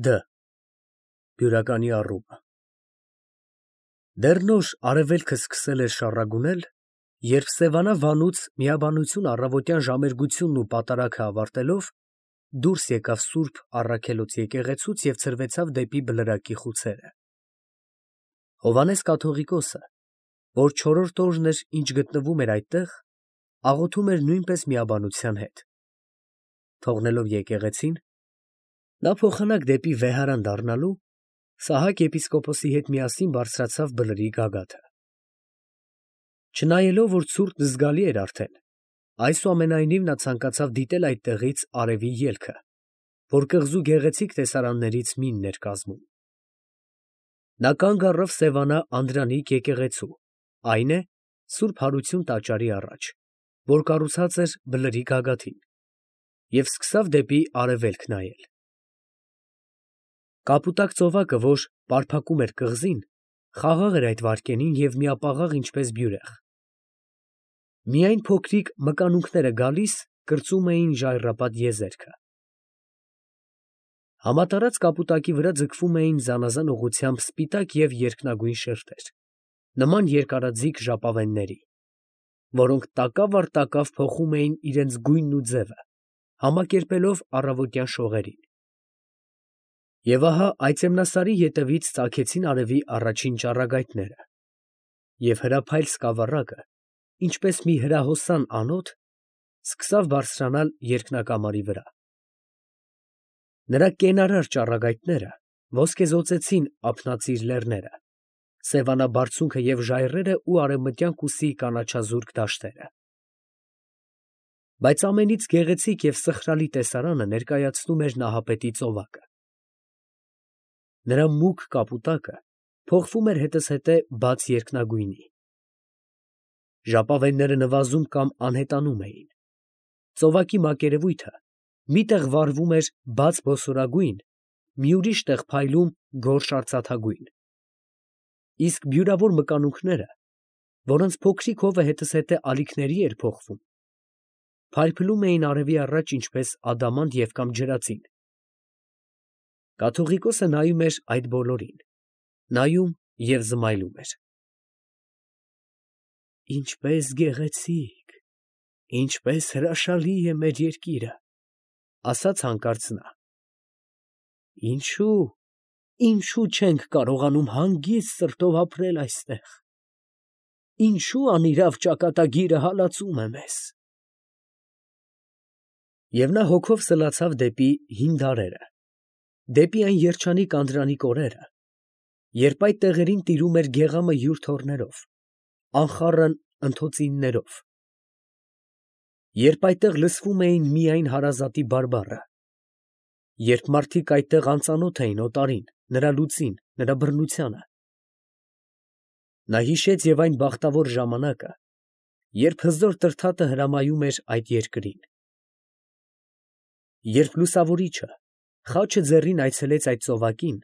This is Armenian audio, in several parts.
Դ. Բյուրականի առումը Դեռ նոր արևելքը սկսել էր շառագունել, երբ Սևանա վանուց միաբանություն առավոտյան ժամերգությունն ու պատարագը ավարտելով, դուրս եկավ Սուրբ Առաքելոց եկեղեցուց և ցրվեցավ դեպի Բլրակի խուցերը։ Հովհաննես կաթողիկոսը, որ չորրորդ օրն էր, ինչ գտնվում էր այդտեղ, աղոթում էր նույնպես միաբանության հետ։ Թողնելով եկեղեցին, նա փոխանակ դեպի Վեհարան դառնալու, Սահակ եպիսկոպոսի հետ միասին բարձրացավ Բլրի գագաթը։ Չնայելով, որ ցուրտն զգալի էր արդեն, այսուամենայնիվ նա ցանկացավ դիտել այդտեղից արևի ելքը, որ կղզու գեղեցիկ տեսարաններից մինն էր կազմում։ Նա կանգ առավ Սևանա Անդրանիկ եկեղեցու, այն է, Սուրբ Հարություն տաճարի առաջ, որ կառուցած էր Բլրի գագաթին, և սկսավ դեպի արևելք նայել։ Կապուտակ ծովակը, որ պարփակում էր կղզին, խաղաղ էր այդ վայրկյանին և միապաղաղ ինչպես բյուրեղ։ Միայն փոքրիկ մկանունքները գալիս կրծում էին ժայռապատ եզերքը։ Համատարած կապուտակի վրա ձգվում էին զանազան ուղղությամբ սպիտակ և երկնագույն շերտեր, նման երկարաձիգ ժապավենների, որոնք տակավ առ տակավ փոխում էին իրենց գույնն ու ձևը, համակերպելով առավոտյան շողերին։ Եվ ահա այծեմնասարի ետևից ծագեցին արևի առաջին ճառագայթները, և հրափայլ սկավառակը, ինչպես մի հրահոսան անոթ, սկսավ բարձրանալ երկնակամարի վրա։ Նրա կենարար ճառագայթները ոսկեզօծեցին ափնածիր լեռները, Սևանա բարձունքը և ժայռերը ու արևմտյան կուսի կանաչազուրկ դաշտերը։ Բայց ամենից գեղեցիկ և սխրալի տեսարանը ներկայացնում էր Նահապետի ծովակը։ Նրա մուգ կապուտակը փոխվում էր հետզհետե բաց երկնագույնի։ Ժապավենները նվազում կամ անհետանում էին։ Ծովակի մակերևույթը մի տեղ վառվում էր բաց բոսորագույն, մի ուրիշ տեղ փայլում գորշ արծաթագույն։ Իսկ բյուրավոր մկանունքները, որոնց փոքրիկ հովը հետզհետե ալիքների էր փոխվում, փայլփլում էին արևի առաջ ինչպես ադամանդ և կամ ջրածին։ Կաթողիկոսը նայում էր այդ բոլորին, նայում և զմայլում էր։ «Ինչպես գեղեցիկ, ինչպես հրաշալի է մեր երկիրը, ֊ ասաց հանկարծ նա, ֊ ինչո՞ւ չենք կարողանում հանգիստ սրտով ապրել այստեղ, ինչո՞ւ անիրավ ճակատագիրը հալածում է մեզ»։ Եվ նա հոգով սլացավ դեպի հին դարերը, դեպի այն երջանիկ անդրանիկ օրերը, երբ այդ տեղերին տիրում էր գեղամը յուր թոռներով, անխառն ընթոցիններով, երբ այդտեղ լսվում էին միայն հարազատի բարբառը, երբ մարդիկ այդտեղ անծանոթ էին օտարին, նրա լուծին, նրա բռնությանը։ Նա հիշեց և այն բախտավոր ժամանակը, երբ հզոր τρթատը հրամայում էր այդ երկրին, երբ լուսավորիչը խաչը ձեռին այցելեց այդ ծովակին,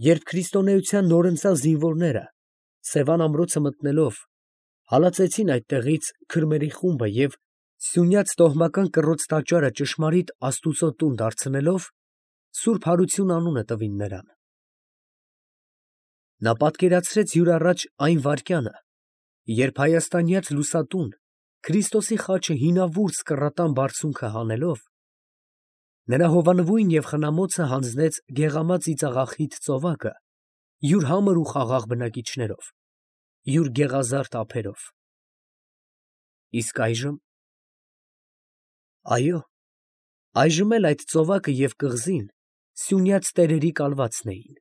երբ քրիստոնեության նորընծյալ զինվորները, Սևան ամրոցը մտնելով, հալածեցին այդտեղից քրմերի խումբը և սյունյաց տոհմական կռոծ տաճարը ճշմարիտ աստուծո տուն դարձնելով, Սուրբ Հարություն անունը տվին նրան։ Նա պատկերացրեց յուր առաջ այն վայրկյանը, երբ հայաստանյաց լուսատուն Քրիստոսի խաչը հինավուրց կռատան բարձունքը հանելով, նրա հովանվույն և խնամոցը հանձնեց գեղամա ծիծաղախիտ ծովակը յուր համր ու խաղաղ բնակիչներով, յուր գեղազարդ ափերով։ Իսկ այժմ… Այո, այժմ էլ այդ ծովակը և կղզին սյունյաց տերերի կալվածն էին։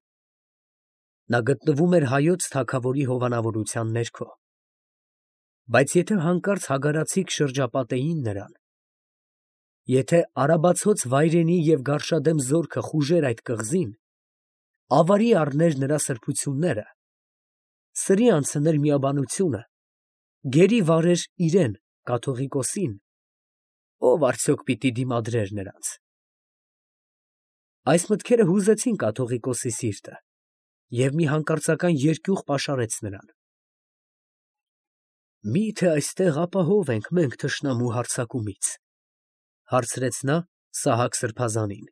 Նա գտնվում էր հայոց թագավորի հովանավորության ներքո։ Բայց եթե հանկարծ հագարացիկ շրջապատեին նրան, եթե արաբացոց վայրենի և գարշադեմ զորքը խուժեր այդ կղզին, ավարի առներ նրա սրբությունները, սրի անցներ միաբանությունը, գերի վարեր իրան, կաթողիկոսին, ո՞վ արդյոք պիտի դիմադրեր նրանց։ Այս մտքերը հուզեցին կաթողիկոսի սիրտը, և մի հանկարծական երկյուղ պաշարեց նրան։ «Մի՞թե այստեղ ապահով ենք մենք թշնամու հարձակումից, ֊ հարցրեց նա Սահակ սրբազանին։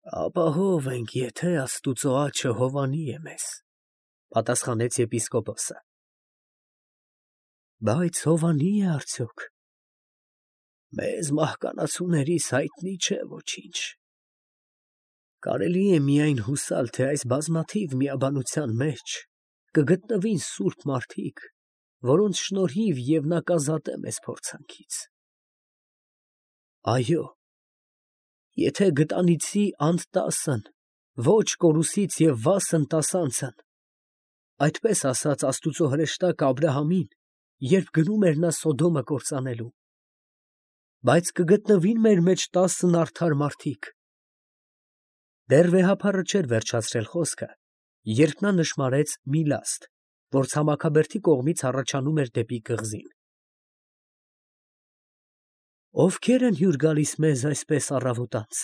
Ապահով ենք, եթե Աստուծո աջը հովանի է մեզ, պատասխանեց եպիսկոպոսը։ Բայց հովանի է արդյոք։ Մեզ մահկանացուներիս հայտնի չէ ոչինչ։ Կարելի է միայն հուսալ, թե այս բազմաթիվ միաբանության մեջ կգտնվին սուրբ մարդիկ, որոնց շնորհիվ և նա կազատե մեզ փորձանքից։ Այո, եթե գտանիցի անդ 10-ն, ոչ կորուսից և վասն 10-անցն, այդպես ասաց Աստուծո հրեշտակ Աբրահամին, երբ գնում էր նա Սոդոմը կործանելու, բայց կգտնվին մեր մեջ 10 արդար մարդիկ։ Դեռ վեհափառը չէր վերջացրել խոսքը, երբ նա նշմարեց մի լաստ, որ ցամաքաբերդի կողմից առաջանում էր դեպի կղզին։ Ովքե՞ր են հյուր գալիս մեզ այսպես առավոտանց,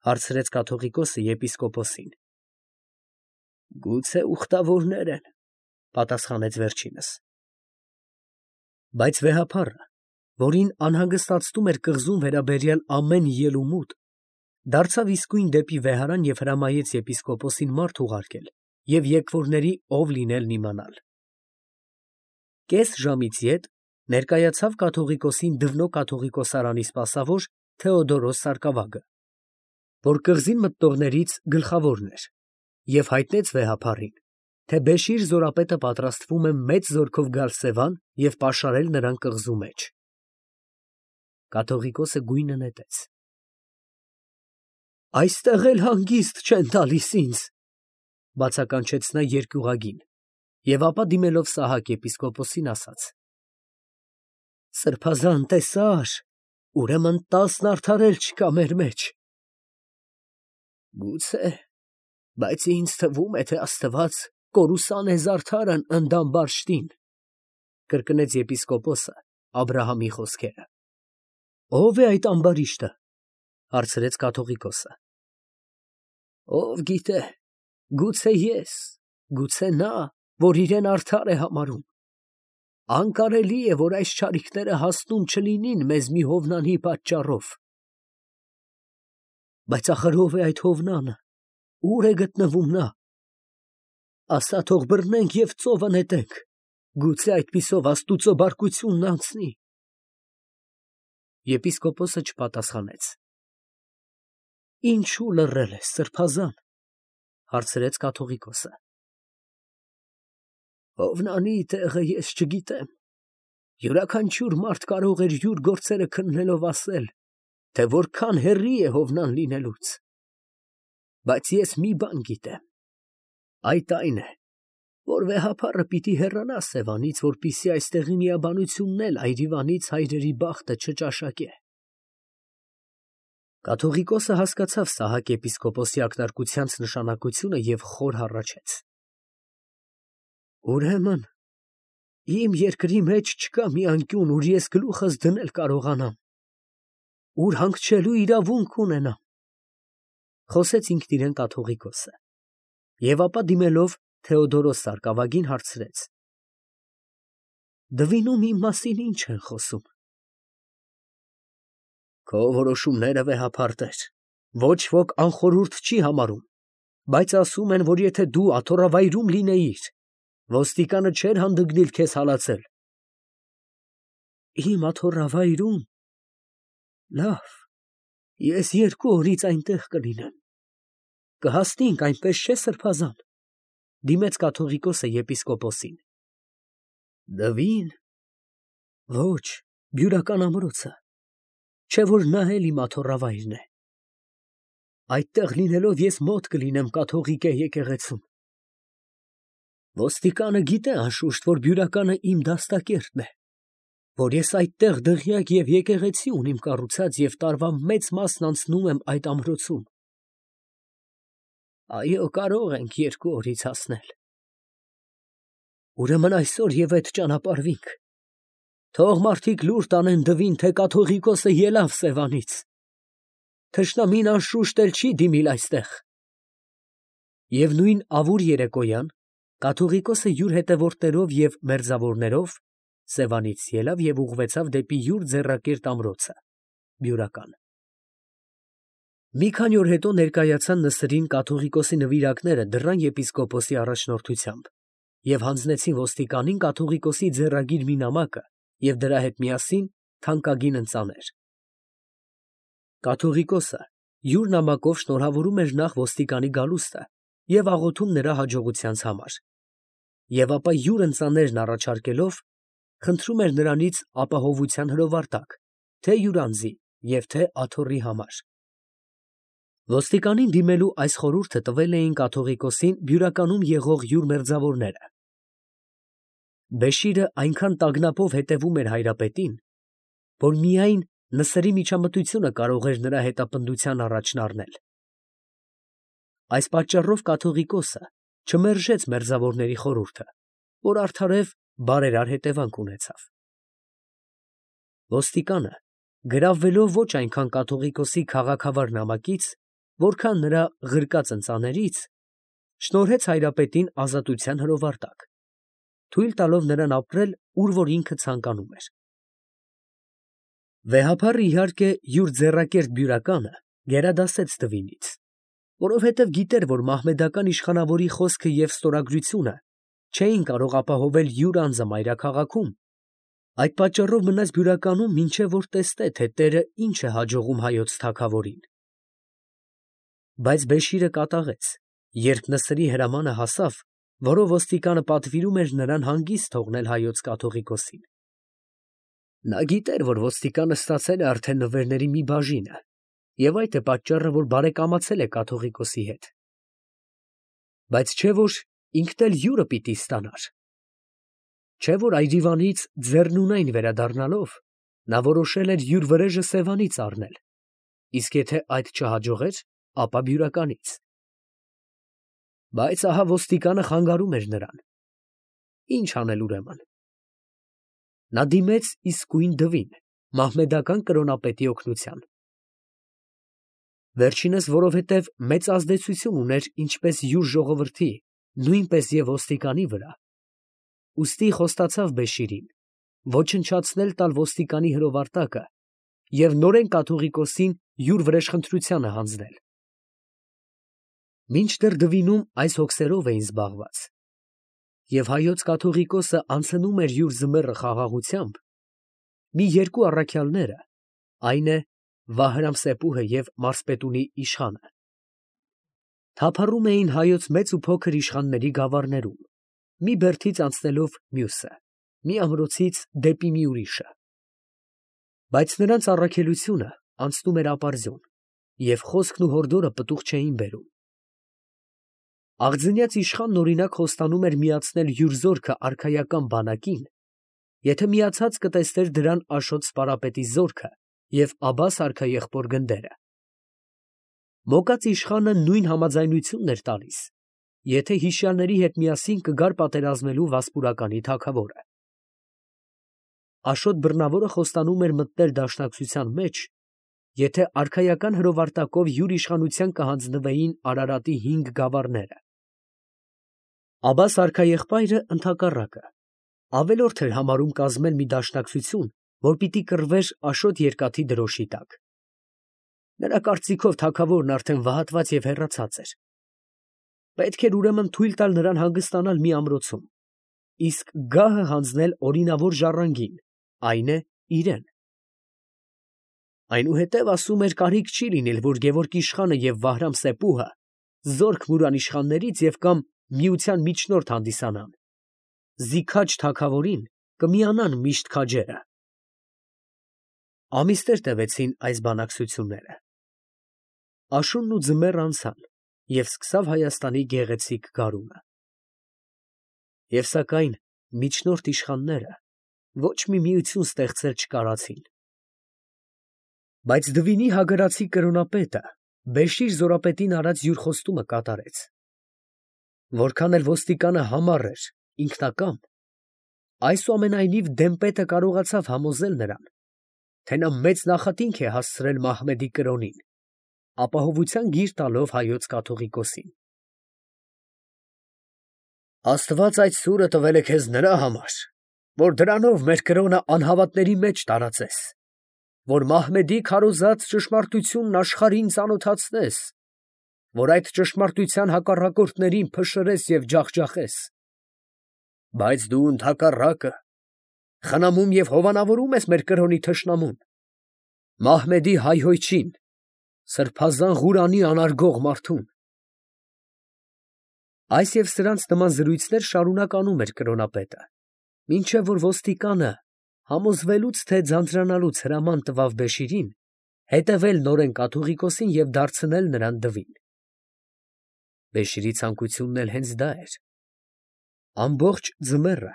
հարցրեց կաթողիկոսը եպիսկոպոսին։ Գուցե ուխտավորներ են, պատասխանեց վերջինս։ Բայց վեհափառը, որին անհանգստացնում էր կղզուն վերաբերյալ ամեն ելումուտ, դարձավ իսկույն դեպի վեհարան և հրամայեց եպիսկոպոսին մարդ ուղարկել և եկվորների ով լինելն իմանալ։ Կես ժամից յետ ներկայացավ կաթողիկոսին Դվնո կաթողիկոսարանի սպասավոր Թեոդորոս սարկավագը, որ կղզին մտնողներից գլխավորն էր, և հայտնեց վեհափառին, թե Բեշիր զորապետը պատրաստվում է մեծ զորքով գալ Սևան և պաշարել նրան կղզու մեջ։ Կաթողիկոսը գույնը նետեց։ Այստեղ էլ հանգիստ չեն տալիս ինձ, բացականչեց նա երկյուղագին, և ապա դիմելով Սահակ եպիսկոպոսին ասաց. Սրբազան տեսար, ուրեմն 10 արդար էլ չկա մեր մեջ։ Գուցե, բայց ինձ թվում է, թե Աստված կորուսան է զարդարն ընդամ բաշտին, կրկնեց եպիսկոպոսը Աբրահամի խոսքերը։ Ո՞վ է այդ ամբարիշտը, հարցրեց կաթողիկոսը։ Ով գիտե, գուցե ես, գուցե նա, որ իրեն արդար է համարում։ Անկարելի է, որ այս չարիքները հասնում չլինին մեզ մի հովնանի պատճառով։ Բայց ախր ով է այդ հովնանը, ուր է գտնվում նա։ Ասա, թող բռնենք և ծովը նետենք, գուցե այդպիսով Աստուծո բարկությունն անցնի։ Եպիսկոպոսը չպատասխանեց։ Ինչու լռել ես, սրբազան, հարցրեց կաթողիկոսը։ Հովնանի տեղը ես չգիտեմ։ Յուրաքանչյուր մարդ կարող էր յուր գործերը քննելով ասել, թե որքան հեռի է հովնան լինելուց։ Բայց ես մի բան գիտեմ. այդ այն է, որ վեհափառը պիտի հեռանա Սևանից, որպեսզի այստեղի միաբանությունն էլ այրիվանից հայրերի բախտը չճաշակե։ Կաթողիկոսը հասկացավ Սահակ եպիսկոպոսի ակնարկությանց նշանակությունը և խոր հառաչեց։ Ուրեմն, իմ երկրի մեջ չկա մի անկյուն, ուր ես գլուխս դնել կարողանամ, ուր հանգչելու իրավունք ունենամ, խոսեց ինքն իրեն կաթողիկոսը, և ապա դիմելով Թեոդորոս սարկավագին հարցրեց. Դվինում իմ մասին ինչ են խոսում։ Քո որոշումները վեհափառ տեր, ոչ ոք անխորհուրդ չի համարում, բայց ասում են, որ եթե դու աթոռավայրում լինեիր, ոստիկանը չէր հանդգնիլ քեզ հալածել։ Իմ աթոռավայրում։ Լավ, ես 2 օրից այնտեղ կլինեմ։ Կհասնենք, այնպես չէ, սրբազան, դիմեց կաթողիկոսը եպիսկոպոսին։ Դվին։ Ոչ, բյուրական ամրոցը, չէ որ նա էլ իմ աթոռավայրն է։ Այդտեղ լինելով ես մոտ կլինեմ կաթողիկե եկեղեցուն։ Ոստիկանը գիտե անշուշտ, որ բյուրականը իմ դաստակերտն է, որ ես այդտեղ դղյակ և եկեղեցի ունիմ կառուցած և տարվա մեծ մասն անցնում եմ այդ ամրոցում։ Այո, կարող ենք 2 օրից հասնել։ Ուրեմն այսօր և հետ ճանապարհվենք։ Թող մարդիկ լուր տանեն Դվին, թե կաթողիկոսը ելավ Սևանից։ Թշնամին անշուշտ էլ չի դիմիլ այստեղ։ Եվ նույն ավուր երեկոյան կաթողիկոսը յուր հետևորդներով և մերձավորներով Սևանից ելավ և ուղղվեցավ դեպի յուր ձեռակերտ ամրոցը, բյուրական։ Մի քանի օր հետո ներկայացան Նսրին կաթողիկոսի նվիրակները դռան եպիսկոպոսի առաջնորդությամբ և հանձնեցին ոստիկանին կաթողիկոսի ձեռագիր մի նամակը և դրա հետ միասին թանկագին ընծաներ։ Կաթողիկոսը յուր նամակով շնորհավորում էր նախ ոստիկանի գալուստը և աղոթում նրա հաջողությանց համար, և ապա յուր ընծաներն առաջարկելով խնդրում էր նրանից ապահովության հրովարտակ թե յուր անձի և թե աթոռի համար։ Ոստիկանին դիմելու այս խորհուրդը տվել էին կաթողիկոսին բյուրականում եղող յուր մերձավորները։ Բեշիրը այնքան տագնապով հետևում էր հայրապետին, որ միայն Նսրի միջամտությունը կարող էր նրա հետապնդության առաջն առնել։ Այս պատճառով կաթողիկոսը չմերժեց մերձավորների խորհուրդը, որ արդարև բարերար հետևանք ունեցավ։ Ոստիկանը, գրավվելով ոչ այնքան կաթողիկոսի քաղաքավար նամակից, որքան նրա ղրկած ընծաներից, շնորհեց հայրապետին ազատության հրովարտակ, թույլ տալով նրան ապրել, ուր որ ինքը ցանկանում էր։ Վեհափառը իհարկե յուր ձեռակերտ բյուրականը գերադասեց տվինից, որովհետև գիտեր, որ մահմեդական իշխանավորի խոսքը և ստորագրությունը չէին կարող ապահովել յուր անձը մայրաքաղաքում, այդ պատճառով մնաց բյուրականում, մինչև որ տեսնե, թե տերը ինչ է հաջողում հայոց թագավորին։ Բայց Բեշիրը կատաղեց, երբ Նսրի հրամանը հասավ, որով ոստիկանը պատվիրում էր նրան հանգիստ թողնել հայոց կաթողիկոսին։ Նա գիտեր, որ ոստիկանը ստացել է արդեն նվերների մի բաժինը, և այդ է պատճառը, որ բարեկամացել է կաթողիկոսի հետ։ Բայց չէ՞ որ ինքն էլ յուրը պիտի ստանար։ Չէ՞ որ այրիվանից ձեռնունայն վերադառնալով, նա որոշել էր յուր վրեժը Սևանից առնել, իսկ եթե այդ չհաջողեր, ապա բյուրականից։ Բայց ահա ոստիկանը խանգարում էր նրան։ Ի՞նչ անել ուրեմն։ Նա դիմեց իսկույն դվին, մահմեդական կրոնապետի օգնության։ Վերջինս, որովհետև մեծ ազդեցություն ուներ ինչպես յուր ժողովրդի, նույնպես և ոստիկանի վրա, ուստի խոստացավ Բեշիրին ոչնչացնել տալ ոստիկանի հրովարտակը և նորեն կաթողիկոսին յուր վրեժխնդրությանը հանձնել։ Մինչդեռ դվինում այս հոգսերով էին զբաղված, և հայոց կաթողիկոսը անցնում էր յուր ձմեռը խաղաղությամբ, մի երկու առաքյալները, այն է Վահրամ֊Սեփուհը և մարզպետունի իշխանը, թափառում էին հայոց մեծ ու փոքր իշխանների գավառներում, մի բերդից անցնելով մյուսը, մի ամրոցից դեպի մի ուրիշը։ Բայց նրանց առաքելությունը անցնում էր ապարդյուն, և խոսքն ու հորդորը պտուղ չէին բերում։ Աղձնյաց իշխանն օրինակ խոստանում էր միացնել յուր զորքը արքայական բանակին, եթե միացած կտեսներ դրան Աշոտ սպարապետի զորքը և Աբբաս արքաեղբոր գնդերը։ Մոկած իշխանը նույն համաձայնությունն էր տալիս, եթե հիշյալների հետ միասին կգար պատերազմելու Վասպուրականի թագավորը։ Աշոտ բռնավորը խոստանում էր մտնել դաշնակցության մեջ, եթե արքայական հրովարտակով յուր իշխանության կհանձնվեին Արարատի 5 գավառները։ Աբբաս արքաեղբայրը ընդհակառակը, ավելորդ էր համարում կազմել մի դաշնակցություն, որ պիտի կռվեր Աշոտ երկաթի դրոշի տակ։ Նրա կարծիքով թագավորն արդեն վհատված և հեռացած էր։ Պետք էր ուրեմն թույլ տալ նրան հանգստանալ մի ամրոցում, իսկ գահը հանձնել օրինավոր ժառանգին, այն է իրեն։ Այնուհետև, ասում էր, կարիք չի լինել, որ Գևորգ իշխանը և Վահրամ֊Սեփուհը զորք մուրան իշխաններից և կամ միության միջնորդ հանդիսանան, զիքաչ թագավորին կմիանան միշտ քաջերը։ Ամիսներ տևեցին այս բանակցությունները։ Աշունն ու ձմեռը անցան, և սկսավ Հայաստանի գեղեցիկ գարունը։ Եվ սակայն միջնորդ իշխանները ոչ մի միություն ստեղծել չկարացին։ Բայց Դվինի հագարացի կրոնապետը Բեշիր զորապետին արած յուր խոստումը կատարեց։ Որքան էլ ոստիկանը համառ էր, ինքնակամ, այսուամենայնիվ դեմպետը կարողացավ համոզել նրան, թե նա մեծ նախատինք է հասցրել Մահմեդի կրոնին, ապահովության գիր տալով հայոց կաթողիկոսին։ Աստված այդ սուրը տվել է քեզ նրա համար, որ դրանով մեր կրոնը անհավատների մեջ տարածես, որ Մահմեդի քարոզած ճշմարտությունն աշխարհին ծանոթացնես, որ այդ ճշմարտության հակառակորդներին փշրես և ջախջախես։ Բայց դու ընդհակառակը խնամում և հովանավորում ես մեր կրոնի թշնամուն, Մահմեդի հայհոյչին, սրբազան Ղուրանի անարգող մարդուն։ Այս և սրանց նման զրույցներ շարունակ անում էր կրոնապետը, մինչև որ ոստիկանը, համոզվելուց, թե ձանձրանալուց հրաման տվավ Բեշիրին հետևել նորեն կաթողիկոսին և դարձնել նրան դվին։ Բեշիրի ցանկությունն էլ հենց դա էր։ Ամբողջ ձմեռը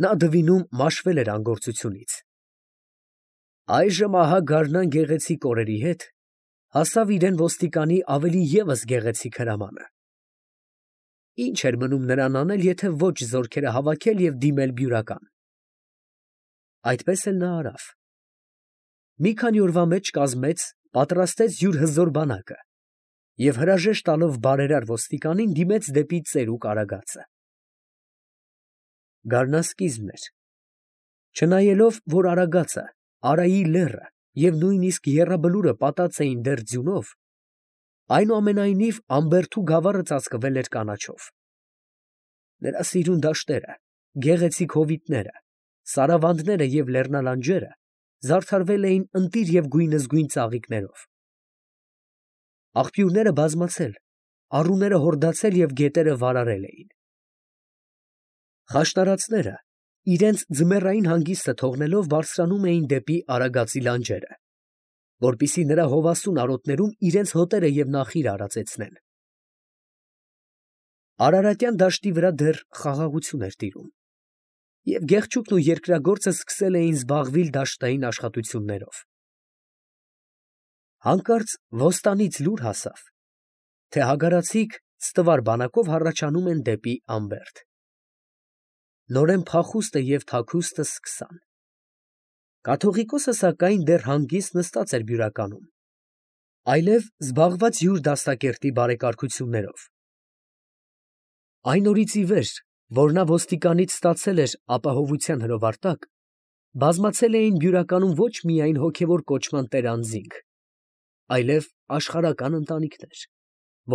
նա դվինում մաշվել էր անգործությունից։ Այժմ ահա գարնան գեղեցիկ օրերի հետ հասավ իրեն ոստիկանի ավելի ևս գեղեցիկ հրամանը։ Ինչ էր մնում նրան անել, եթե ոչ զորքերը հավաքել և դիմել բյուրական։ Այդպես էլ նա արավ։ Մի քանի օրվա մեջ կազմեց, պատրաստեց յուր հզոր բանակը և հրաժեշտ տալով բարերար ոստիկանին դիմեց դեպի ծերուկ արագածը։ Գարնասկիզբն էր։ Չնայելով, որ արագածը, Արայի լեռը և նույնիսկ եռաբլուրը պատած էին դեռ ձյունով, այնուամենայնիվ Ամբերդու գավառը ծածկվել էր կանաչով։ Նրա սիրուն դաշտերը, գեղեցիկ հովիտները, սարավանդները և լեռնալանջերը զարդարվել էին ընտիր և գույնզգույն ծաղիկներով։ Աղբյուրները բազմացել, առուները հորդացել և գետերը վարարել էին։ Խաշնարածները, իրենց ձմեռային հանգիստը թողնելով, բարձրանում էին դեպի Արագածի լանջերը, որպեսզի նրա հովասուն արոտներում իրենց հոտերը և նախիրը արածեցնեն։ Արարատյան դաշտի վրա դեռ խաղաղություն էր տիրում, և գեղչուկն ու երկրագործը սկսել էին զբաղվել դաշտային աշխատություններով։ Հանկարծ ոստանից լուր հասավ, թե հագարացիք ստվար բանակով հառաչանում են դեպի Ամբերդ։ Նորեն փախուստը և թաքուստը սկսան։ Կաթողիկոսը, սակայն, դեռ հանգիստ նստած էր բյուրականում, այլև զբաղված յուր դաստակերտի բարեկարգություններով։ Այն օրից ի վեր, որ նա ոստիկանից ստացել էր ապահովության հրովարտակ, բազմացել էին բյուրականում ոչ միայն հոգևոր կոչման տերանձինք, այլև աշխարհական ընտանիքներ,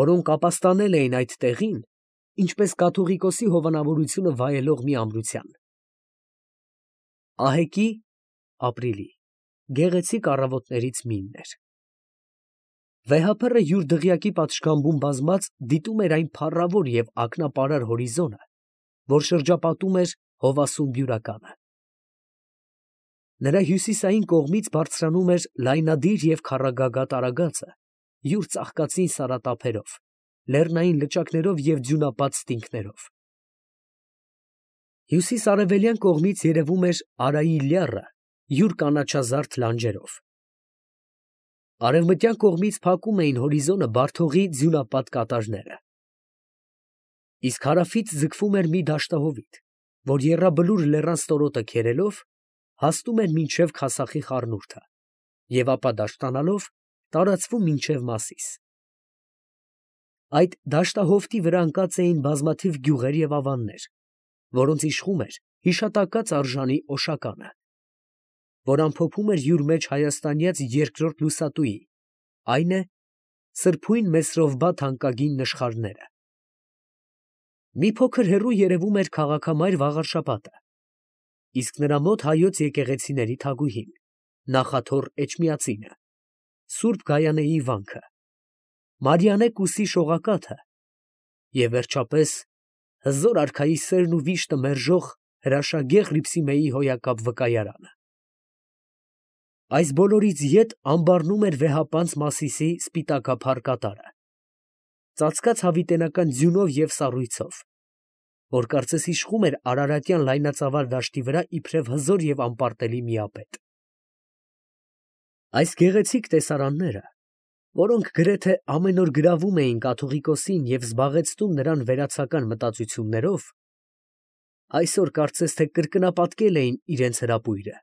որոնք ապաստանել էին այդ տեղին, ինչպես կաթողիկոսի հովանավորությունը վայելող մի ամրության։ Ահեկի (ապրիլի) գեղեցիկ առավոտներից մեկն էր։ Վեհափռը յուր դղյակի պատշգամբում բազմած դիտում էր այն փառավոր և ակնապարար հորիզոնը, որ շրջապատում էր հովասուն բյուրականը։ Նրա հյուսիսային կողմից բարձրանում էր լայնադիր և քառագագաթ արագածը յուր ծաղկածին սարատափերով, լեռնային լճակներով և ձյունապատ ստինգներով։ Հյուսիս֊արևելյան կողմից երևում էր Արայի լեռը յուր կանաչազարդ լանջերով։ Արևմտյան կողմից փակում էին հորիզոնը Բարթողի ձյունապատ կատարները։ Իսկ հարավից ձգվում էր մի դաշտահովիտ, որ Եռաբլուր լեռան ստորոտը քերելով, հասնում էր մինչև Քասախի խառնուրդը և ապա դաշտանալով տարածվում մինչև Մասիս։ Այդ դաշտահովտի վրա ընկած էին բազմաթիվ գյուղեր և ավաններ, որոնց իշխում էր հիշատակած արժանի Օշականը, որ ամփոփում էր յուր մեջ հայաստանյաց երկրորդ լուսատուի, այն է սրբույն Մեսրովբա թանկագին նշխարները։ Մի փոքր հեռու երևում էր քաղաքամայր Վաղարշապատը, իսկ նրա մոտ հայոց եկեղեցիների թագուհին, նախաթոռ Էջմիածինը, Սուրբ Գայանեի վանքը, Մարիանե Կուսի շողակաթը և վերջապես հզոր արքայի սերն ու վիշտը մերժող հրաշագեղ Հռիփսիմեի հոյակապ վկայարանը։ Այս բոլորից ետ ամբառնում էր վեհապանծ Մասիսի սպիտակափառ կատարը, ծածկած հավիտենական ձյունով և սառույցով, որ կարծես իշխում էր արարատյան լայնածավալ դաշտի վրա իբրև հզոր և անպարտելի միապետ։ Այս գեղեցիկ տեսարանները, որոնք գրեթե ամեն օր գրավում էին կաթողիկոսին և զբաղեցնում նրան վերացական մտածություններով, այսօր կարծես թե կրկնապատկել էին իրենց հրապույրը։